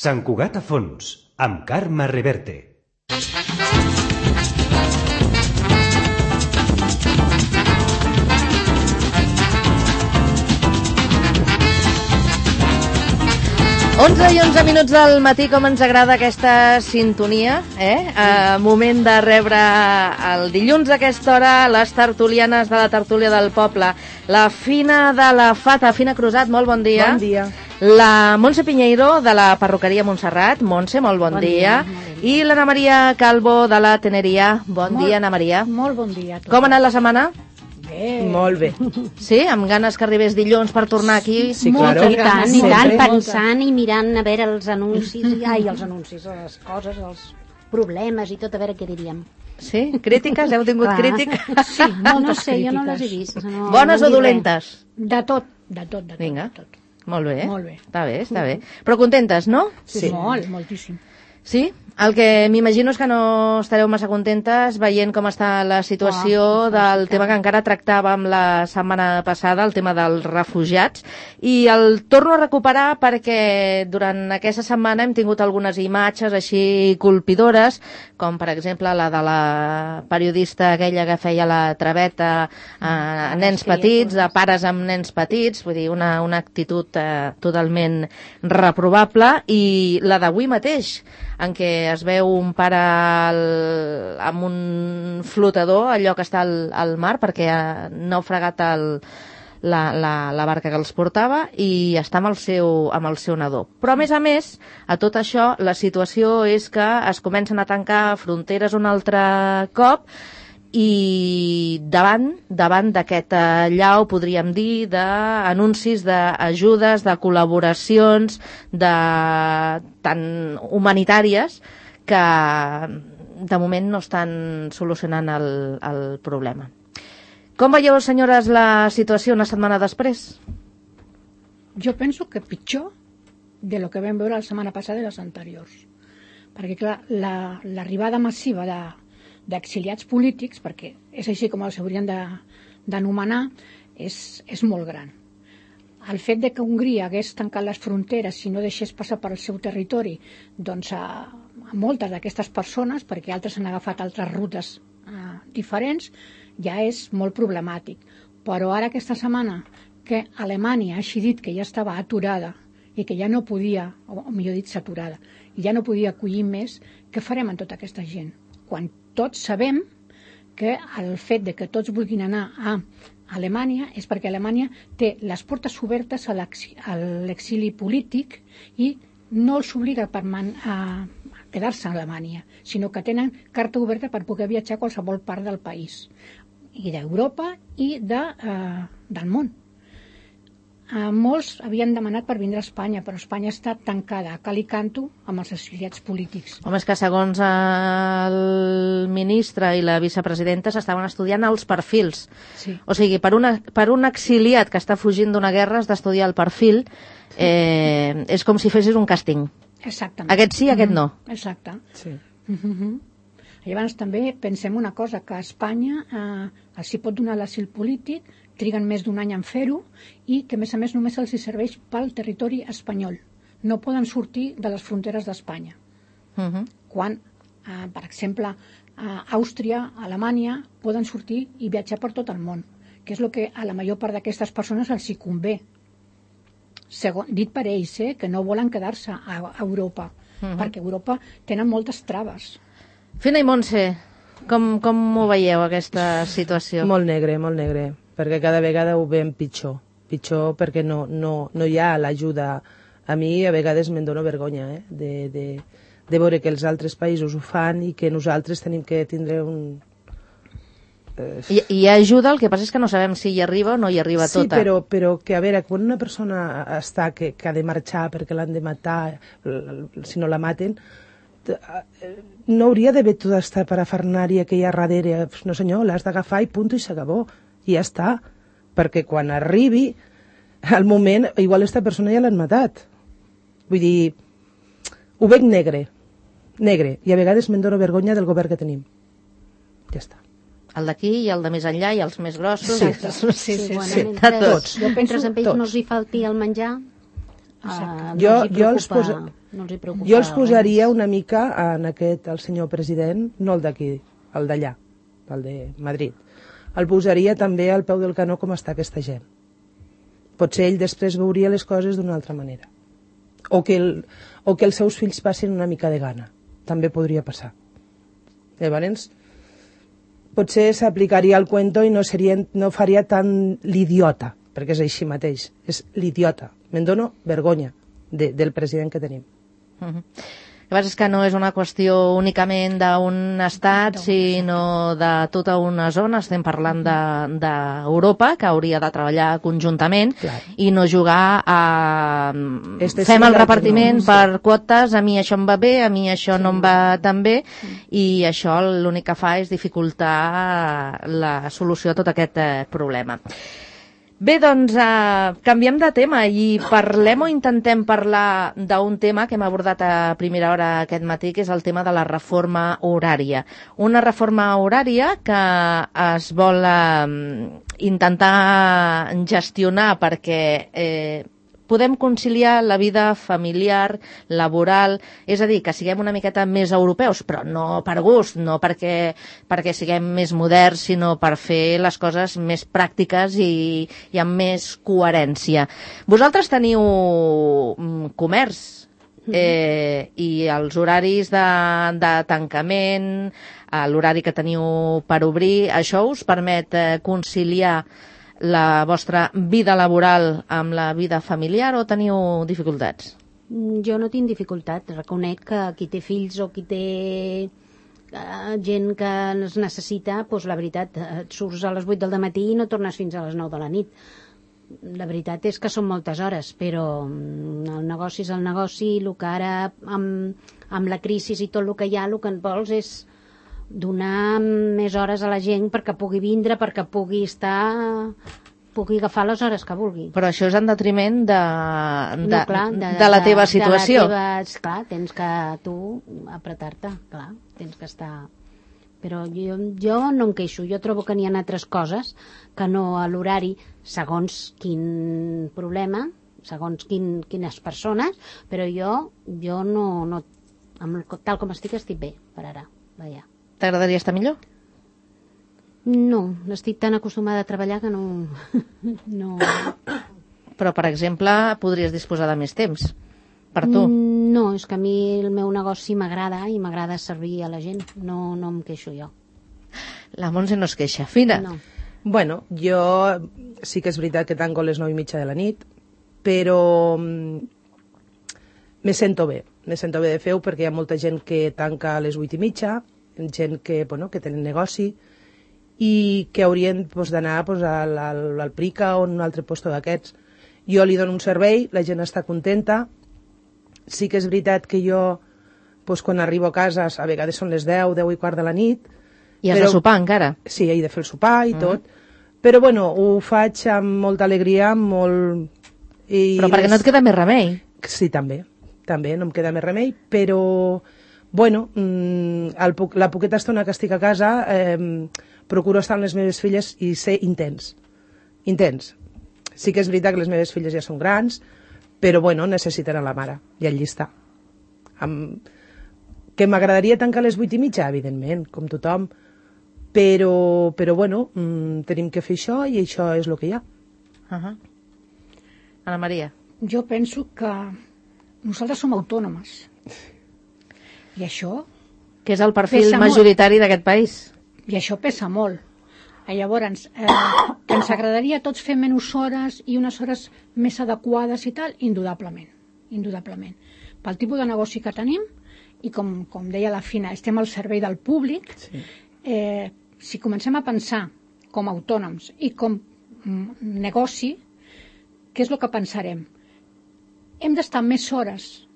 Sant Cugat a fons, amb Carme Reverte. Onze i 11 minuts del matí, com ens agrada aquesta sintonia, moment de rebre el dilluns a aquesta hora les tertulianes de la tertúlia del poble. La Fina de la Fata, Fina Crusat, molt bon dia. Bon dia. La Montse Pinheiro, de la perruqueria Montserrat. Montse, molt bon dia. I l'Anna Maria Calvo, de la Teneria. Bon dia, Anna Maria. Molt bon dia a tots. Com ha anat la setmana? Bé. Molt bé. Sí? Amb ganes que arribés dilluns per tornar aquí? Sí, claro. I tant, Sempre. pensant i mirant a veure els anuncis, les coses, els problemes i tot, a veure què diríem. Sí? Crítiques? Heu tingut crítiques? Sí, moltes No sé, jo no crítiques. les he vist. No, Bones no o he dit dolentes? De tot. Vinga. De tot. Molt bé. Molt bé. Està bé. Però contentes, no? Sí. Moltíssim. Sí? El que m'imagino és que no estareu massa contentes veient com està la situació del tema que encara tractàvem la setmana passada, el tema dels refugiats, i el torno a recuperar perquè durant aquesta setmana hem tingut algunes imatges així colpidores, com per exemple la de la periodista aquella que feia la traveta a nens petits, a pares amb nens petits, vull dir, una actitud totalment reprovable, i la d'avui mateix, en què es veu un pare amb un flotador, allò que està al mar, perquè ha naufragat la barca que els portava, i està amb el seu nadó. Però, a més, a tot això, la situació és que es comencen a tancar fronteres un altre cop, i davant d'aquest allau, podríem dir, d'anuncis d'ajudes, de col·laboracions, tant humanitàries, que de moment no estan solucionant el problema. Com veieu, senyores, la situació una setmana després? Jo penso que pitjor de lo que vam veure la setmana passada i les anteriors. Perquè, clar, l'arribada massiva d'exiliats polítics, perquè és així com els haurien d'anomenar, és molt gran. El fet de que Hongria hagués tancat les fronteres i no deixés passar per el seu territori doncs a moltes d'aquestes persones, perquè altres han agafat altres rutes diferents, ja és molt problemàtic. Però ara aquesta setmana que Alemanya ha decidit que ja estava aturada i que ja no podia, o millor dit saturada, i ja no podia acollir més, què farem amb tota aquesta gent? Quan tots sabem que el fet de que tots vulguin anar a Alemanya és perquè Alemanya té les portes obertes a l'exili polític i no els obliga a quedar-se a Alemanya, sinó que tenen carta oberta per poder viatjar a qualsevol part del país, i d'Europa i del món. Molts havien demanat per vindre a Espanya, però Espanya està tancada a cal i canto amb els exiliats polítics. Home, és que segons el ministre i la vicepresidenta s'estaven estudiant els perfils. Sí. O sigui, per un exiliat que està fugint d'una guerra has d'estudiar el perfil. És com si fessis un càsting. Exactament. Aquest sí, aquest no. Exacte. Sí. Llavors també pensem una cosa, que a Espanya els hi pot donar l'asil polític, triguen més d'un any en fer-ho, i que a més només els hi serveix pel territori espanyol. No poden sortir de les fronteres d'Espanya. Quan, per exemple, Àustria, Alemanya, poden sortir i viatjar per tot el món, que és el que a la major part d'aquestes persones els hi convé. Dit per ells, que no volen quedar-se a Europa, perquè a Europa tenen moltes traves. Fina i Montse, com ho veieu, aquesta situació? Molt negre, perquè cada vegada ho veiem pitjor perquè no hi ha l'ajuda. A mi a vegades me'n dóna vergonya de veure que els altres països ho fan i que nosaltres tenim que tindre un... Hi ha ajuda, el que passa és que no sabem si hi arriba o no hi arriba tota. Sí, però que a veure, quan una persona està que ha de marxar perquè l'han de matar, si no la maten, no hauria d'haver tota aquesta parafernària que hi ha darrere. No senyor, l'has d'agafar i punt i s'acabó. I ja està. Perquè quan arribi el moment, igual aquesta persona ja l'han matat. Vull dir, ho veig negre. I a vegades me'n dono vergonya del govern que tenim. Ja està. El d'aquí i el de més enllà i els més grossos. Sí. Tots. Jo penso mentre a ells no els hi falti el menjar, Jo els No els hi preocupa. Jo els posaria una mica en aquest, el senyor president, no el d'aquí, el d'allà, el de Madrid. El posaria també al peu del canó com està aquesta gent. Potser ell després veuria les coses d'una altra manera. O que els seus fills passin una mica de gana. També podria passar. Llavors, potser s'aplicaria el cuento i no faria tant l'idiota, perquè és així mateix. És l'idiota. Me'n dono vergonya del president que tenim. El que passa és que no és una qüestió únicament d'un estat, sinó de tota una zona. Estem parlant d'Europa, que hauria de treballar conjuntament i no jugar a... Fem el repartiment per quotes, a mi això em va bé, a mi això no em va tan bé, i això l'únic que fa és dificultar la solució a tot aquest problema. Bé, doncs canviem de tema i parlem o intentem parlar d'un tema que hem abordat a primera hora aquest matí, que és el tema de la reforma horària. Una reforma horària que es vol intentar gestionar perquè podem conciliar la vida familiar, laboral, és a dir, que siguem una miqueta més europeus, però no per gust, no perquè siguem més moderns, sinó per fer les coses més pràctiques i amb més coherència. Vosaltres teniu comerç i els horaris de tancament, l'horari que teniu per obrir, això us permet conciliar la vostra vida laboral amb la vida familiar o teniu dificultats? Jo no tinc dificultat. Reconec que qui té fills o qui té gent que es necessita, doncs la veritat, et surts a les 8 del matí i no tornes fins a les 9 de la nit. La veritat és que són moltes hores, però el negoci és el negoci, el que ara amb la crisi i tot el que hi ha, el que en vols és donar més hores a la gent perquè pugui vindre, perquè pugui agafar les hores que vulgui. Però això és en detriment de la teva situació. Clar, tens que tu apretar-te, clar, tens que estar... Però jo no em queixo, jo trobo que n'hi ha altres coses que no a l'horari, segons quin problema, segons quines persones, però jo no tal com estic bé, per ara, vaja. T'agradaria estar millor? No, estic tan acostumada a treballar que no... Però, per exemple, podries disposar de més temps per tu. No, és que a mi el meu negoci m'agrada i m'agrada servir a la gent. No em queixo jo. La Montse no es queixa. Fina? No. Bueno, jo sí que és veritat que tanco a les 9:30 de la nit, però me sento bé de fer-ho perquè hi ha molta gent que tanca a les 8:30, gent que tenen negoci i que haurien d'anar al Prica o en un altre lloc d'aquests. Jo li dono un servei, la gent està contenta. Sí que és veritat que jo, quan arribo a casa, a vegades són les 10 i quart de la nit. I has de sopar encara? Sí, he de fer el sopar i tot. Però ho faig amb molta alegria, Però perquè no et queda més remei. Sí, també no em queda més remei, però la poqueta estona que estic a casa procuro estar amb les meves filles i ser intens. Sí que és veritat que les meves filles ja són grans, però necessiten a la mare, i allí està. Que m'agradaria tancar a les 8:30, evidentment, com tothom, però tenim que fer això i això és el que hi ha. Ana Maria. Jo penso que nosaltres som autònomes. I això... Que és el perfil majoritari d'aquest país. I això pesa molt. Llavors, que ens agradaria a tots fer menys hores i unes hores més adequades i tal, indudablement. Pel tipus de negoci que tenim, i com deia la Fina, estem al servei del públic, si comencem a pensar com a autònoms i com negoci, què és el que pensarem? Hem d'estar més hores,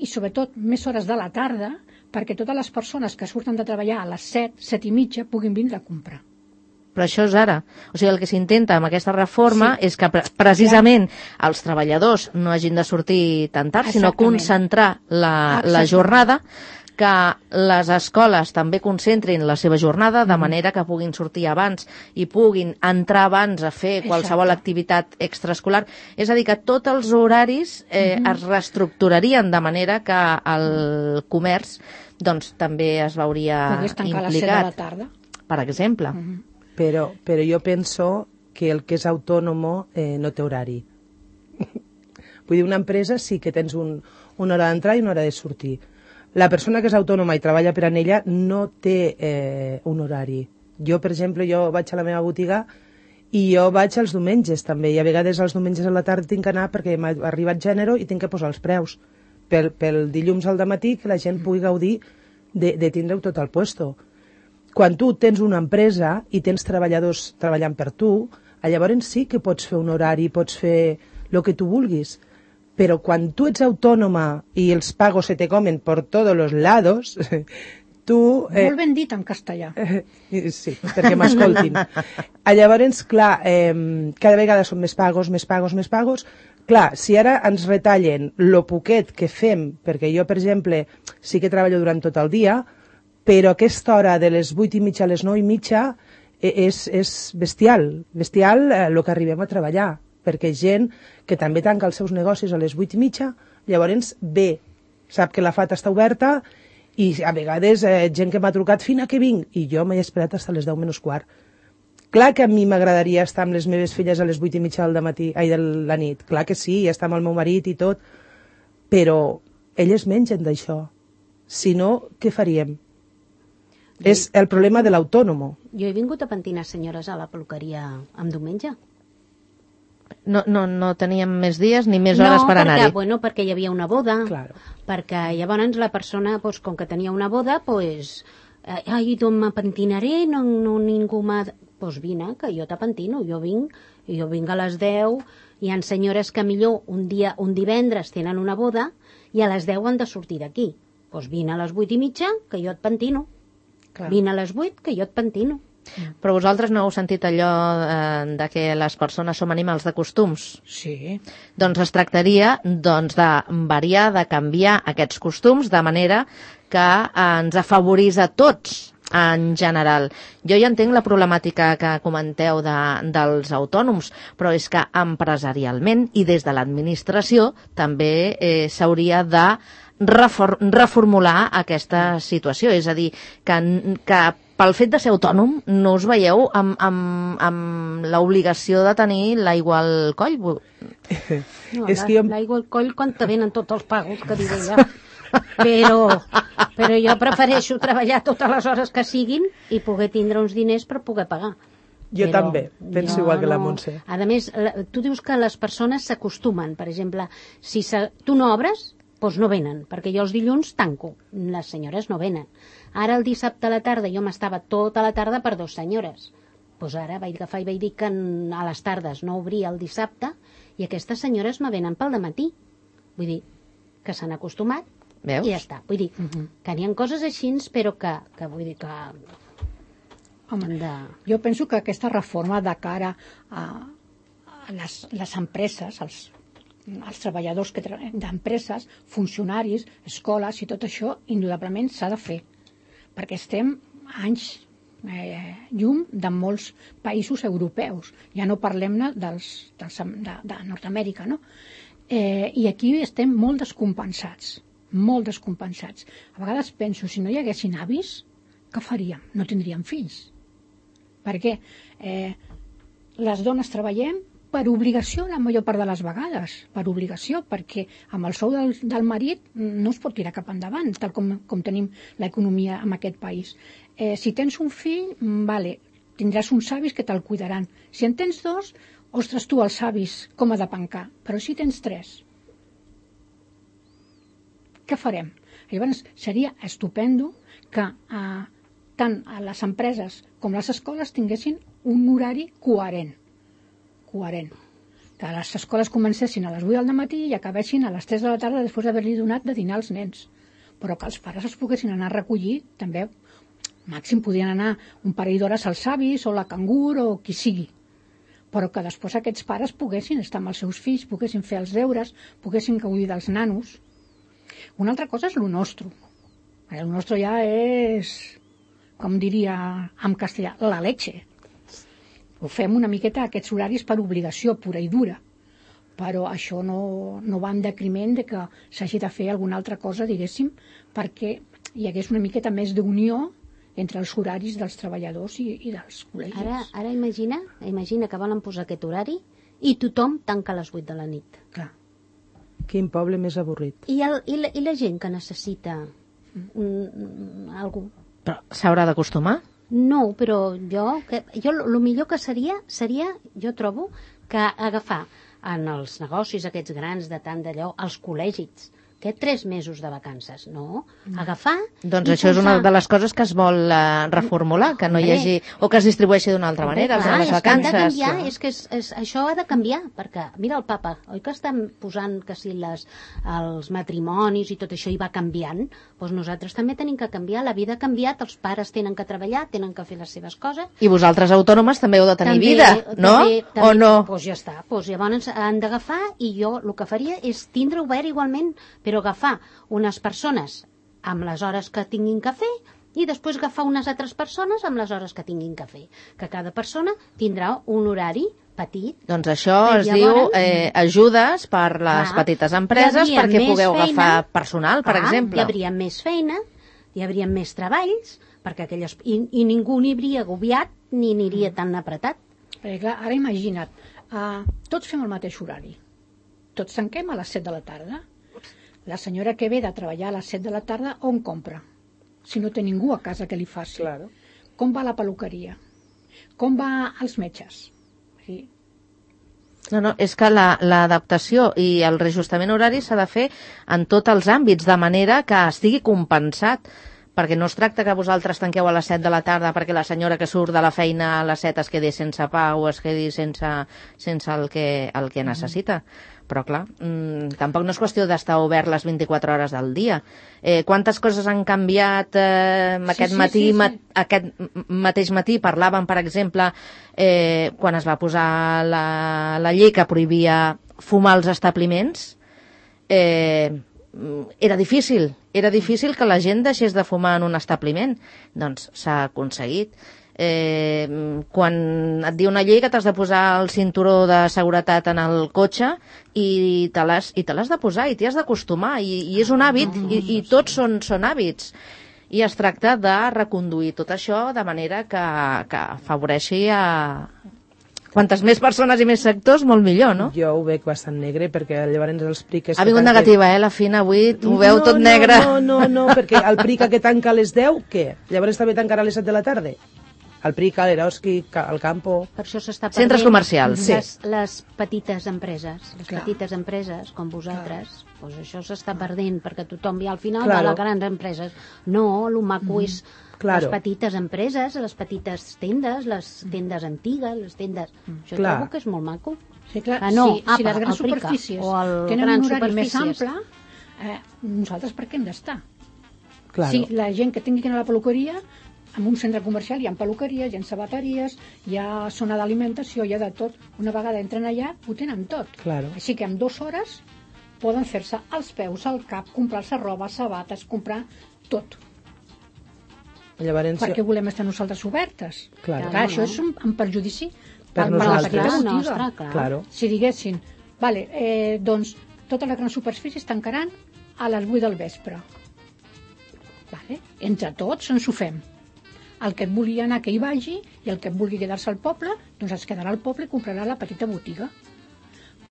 i sobretot més hores de la tarda, perquè totes les persones que surten de treballar a les 7, 7:30, puguin vindre a comprar. Però això és ara. O sigui, el que s'intenta amb aquesta reforma és que precisament els treballadors no hagin de sortir tan tard, sinó concentrar la jornada, que les escoles també concentrin la seva jornada de manera que puguin sortir abans i puguin entrar abans a fer qualsevol activitat extraescolar. És a dir, que tots els horaris es reestructurarien de manera que el comerç doncs, també es veuria Pogués tancar a les 7 de implicat, la tarda. per exemple. Però jo penso que el que és autònomo no té horari. Vull dir, una empresa sí que tens una hora d'entrar i una hora de sortir. La persona que és autònoma i treballa per en ella no té un horari. Jo, per exemple, jo vaig a la meva botiga i jo vaig els diumenges també, i a vegades els diumenges a la tarda tinc que anar perquè m'ha arribat gènere i tinc que posar els preus. Pel dilluns al dematí que la gent pugui gaudir de tindre-ho tot al puesto. Quan tu tens una empresa i tens treballadors treballant per tu, llavors sí que pots fer un horari, pots fer el que tu vulguis. Però quan tu ets autònoma i els pagos se te comen por todos los lados, tu... Molt ben dit en castellà. Sí, perquè m'escoltin. Llavors, clar, cada vegada són més pagos. Clar, si ara ens retallen lo poquet que fem, perquè jo, per exemple, sí que treballo durant tot el dia, però aquesta hora de les 8:30 a les 9:30 és bestial el que arribem a treballar, perquè gent que també tanca els seus negocis a les 8:30, llavors ve, sap que la FAT està oberta i a vegades gent que m'ha trucat fina que vinc, i jo m'he esperat fins a les 10 menys quart. Clar que a mi m'agradaria estar amb les meves filles a les 8:30 de la nit, clar que sí, estar amb el meu marit i tot, però elles mengen d'això. Si no, què faríem? És el problema de l'autònomo. Jo he vingut a pentinar senyores a la peluqueria en diumenge. No teníem més dies ni més hores per anar-hi. No, perquè hi havia una boda, Claro. perquè llavors la persona, pues, com que tenia una boda, pues, ai, d'on me pentinaré, no ningú m'ha... Pues vine, que jo te pentino, jo vinc a les 10, hi ha senyores que millor un divendres tenen una boda i a les 10 han de sortir d'aquí. Pues vine a les 8:30, que jo et pentino. Clar. Vine a les 8, que jo et pentino. Però vosaltres no heu sentit allò de que les persones som animals de costums? Sí. Doncs es tractaria de variar, de canviar aquests costums de manera que ens afavorís a tots en general. Jo ja entenc la problemàtica que comenteu dels autònoms, però és que empresarialment i des de l'administració també s'hauria de reformular aquesta situació. És a dir, que pel fet de ser autònom no us veieu amb l'obligació de tenir l'aigua al coll? No, És que jo... l'aigua al coll quan te venen tots els pagos, que diré ja. Però jo prefereixo treballar totes les hores que siguin i poder tindre uns diners per poder pagar. Jo Però també, penso igual que la Montse. A més, tu dius que les persones s'acostumen. Per exemple, si tu no obres, doncs no venen, perquè jo els dilluns tanco. Les senyores no venen. Ara el dissabte a la tarda jo m'estava tota la tarda per 2 senyores. Doncs ara vaig agafar i vaig dir que a les tardes no obria el dissabte i aquestes senyores me venen pel dematí. Vull dir que s'han acostumat. Veus? I ja està. Vull dir que n'hi ha coses així, però que vull dir que... Home, jo penso que aquesta reforma de cara a les empreses, els treballadors d'empreses, funcionaris, escoles i tot això, indudablement s'ha de fer. Perquè estem anys llum de molts països europeus. Ja no parlem-ne de Nord-Amèrica, no? I aquí estem molt descompensats. Molt descompensats. A vegades penso, si no hi haguessin avis, què faríem? No tindríem fills. Perquè les dones treballem per obligació la major part de les vegades, per obligació, perquè amb el sou del marit no es pot tirar cap endavant, tal com tenim l'economia en aquest país. Si tens un fill, vale, tindràs uns avis que te'l cuidaran. Si en tens 2, ostres, tu els avis com ha de pencar, però si tens 3, què farem? Llavors seria estupendo que tant a les empreses com les escoles tinguessin un horari coherent. Que les escoles comencessin a les 8 del matí i acabessin a les 3 de la tarda després d'haver-li donat de dinar als nens. Però que els pares els poguessin anar a recollir també. Màxim podien anar un parell d'hores als avis o la cangur o qui sigui. Però que després aquests pares poguessin estar amb els seus fills, poguessin fer els deures, poguessin gaudir dels nanos. Una altra cosa és lo nostre. El nostre ja és, com diria en castellà, la leche. Ho fem una miqueta aquests horaris per obligació pura i dura, però això no va en decriment de que s'hagi de fer alguna altra cosa, diguéssim, perquè hi hagués una miqueta més d'unió entre els horaris dels treballadors i dels col·legis. Ara imagina que volen posar aquest horari i tothom tanca a les 8 de la nit. Clar. Quin poble més avorrit. I la gent que necessita algú? Però s'haurà d'acostumar? No, però jo el millor que seria, jo trobo, que agafar en els negocis aquests grans de tant d'allò, els col·legis, que 3 mesos de vacances, no? Agafar... Doncs això és una de les coses que es vol reformular, que no hi hagi... o que es distribueixi d'una altra manera, les vacances. És que això ha de canviar, perquè, mira el papa, oi que estan posant que si els matrimonis i tot això hi va canviant? Doncs nosaltres també tenim que canviar, la vida ha canviat, els pares tenen que treballar, tenen que fer les seves coses. I vosaltres autònomes també heu de tenir vida, no? O no? Doncs ja està, llavors han d'agafar i jo el que faria és tindre obert igualment, però agafar unes persones amb les hores que tinguin que fer i després agafar unes altres persones amb les hores que tinguin que fer. Que cada persona tindrà un horari petit. Doncs això es diu ajudes per les petites empreses perquè pugueu agafar personal, per exemple. Hi hauria més feina, hi hauria més treballs, perquè i ningú n'hi hauria agobiat ni aniria tan apretat. Clar, ara imagina't, tots fem el mateix horari. Tots tanquem a les 7 de la tarda. La senyora que ve de treballar a les 7 de la tarda, on compra? Si no té ningú a casa que li faci. Claro. Com va a la peluqueria? Com va als metges? Sí. No, és que l'adaptació i el reajustament horari s'ha de fer en tots els àmbits, de manera que estigui compensat, perquè no es tracta que vosaltres tanqueu a les 7 de la tarda perquè la senyora que surt de la feina a les 7 es quedi sense pa o es quedi sense el que necessita. Però clar, tampoc no és qüestió d'estar obert les 24 hores del dia. Quantes coses han canviat aquest mateix matí parlàvem, per exemple, quan es va posar la llei que prohibia fumar als establiments, era difícil que la gent deixés de fumar en un establiment. Doncs s'ha aconseguit. Quan et diu una llei que t'has de posar el cinturó de seguretat en el cotxe i te l'has de posar i t'hi has d'acostumar i és un hàbit i tots són hàbits i es tracta de reconduir tot això de manera que afavoreixi a quantes més persones i més sectors, molt millor, no? Jo ho veig bastant negre, perquè llavors els priques... Ha vingut negativa, la Fina, avui ho veu tot negre. No, perquè el prica que tanca a les 10, què? Llavors també tancarà a les 7 de la tarda? El Prica, l'Eroski, el Campo... Per això s'està perdent... Centres comercials. Les petites empreses, petites empreses, com vosaltres, doncs això s'està perdent, perquè tothom ja al final va a les grans empreses. No, el maco és les petites empreses, les petites tendes, les tendes antigues, les tendes... Això trobo que és molt maco. Sí, clar, si les grans superfícies tenen un horari més ample, nosaltres per què hem d'estar? Si la gent que tingui que anar a la peluqueria... En un centre comercial hi ha peluqueries, hi ha sabateries, hi ha zona d'alimentació, hi ha de tot. Una vegada entren allà, ho tenen tot. Claro. Així que en 2 hores poden fer-se els peus, el cap, comprar-se roba, sabates, comprar tot. Llavors... Per què volem estar nosaltres obertes? Claro. Clar, això és un perjudici per la petita botiga. Claro. Si diguessin, doncs totes les grans superfícies tancaran a les 8 del vespre. Entre tots ens ho fem. El que et vulgui anar que hi vagi i el que et vulgui quedar-se al poble, doncs es quedarà al poble i comprarà la petita botiga.